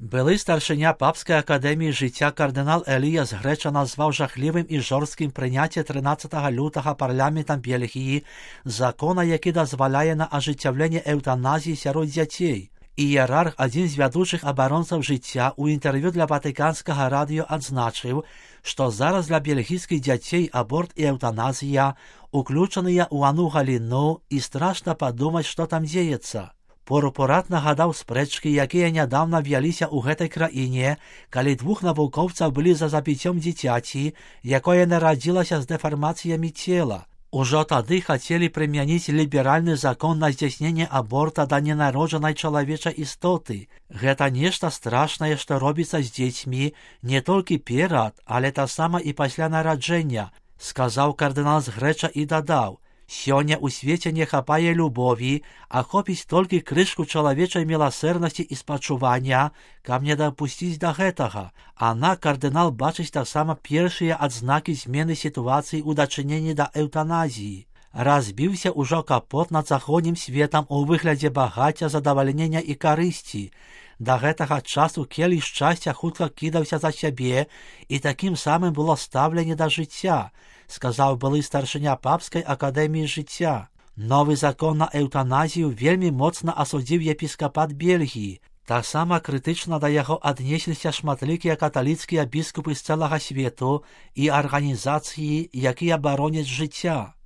Były старшыня Папской академії життя кардинал Еліяс Греча назвав жахливим і жорстким прийняття 13 лютого парламентом Бельгії закона, який дозволяє на ажиттєвлення евтаназії серед дітей. Ієрарх, один з ведучих оборонців життя, у інтерв'ю для Ватиканського радіо відзначив, що зараз для бельгійських дітей аборт і евтаназія уключені у одну галину і страшно подумати, що там діється. Пурпурат нагадав спречки, які недавно в'ялися у гэтай країні, коли двох навуковців були за забиттям дитяті, яке народилося з деформаціями тіла. Уже тоді хотіли примінити ліберальний закон на здійснення аборта до ненародженої чоловічої істоти. Гэта нешта страшне, що робиться з дітьми не тільки перед, але та сама і після народження, сказав кардинал Греча і додав: «Сёння у свеце не хапае любові, а хопіць толькі крышку чалавечай міласэрнасці і спачування, каб не дапусціць да гэтага». Ана, кардынал, бачыць таксама першыя адзнакі змены сітуацыі ў дачыненні да эўтаназіі. Разбіўся ўжо капот над заходнім светам у выглядзе багацця, задавальнення і карысці. Да гэтага часу келіх шчасця хутка кідаўся за сябе, і такім самым было стаўленне да жыцця, сказаў былы старшыня Папскай акадэміі жыцця. Новы закон на эўтаназію вельмі моцна асудзіў епіскапат Бельгіі. Таксама крытычна да яго аднесліся шматлікія каталіцкія біскупы з цэлага свету і арганізацыі, якія бароняць жыцця.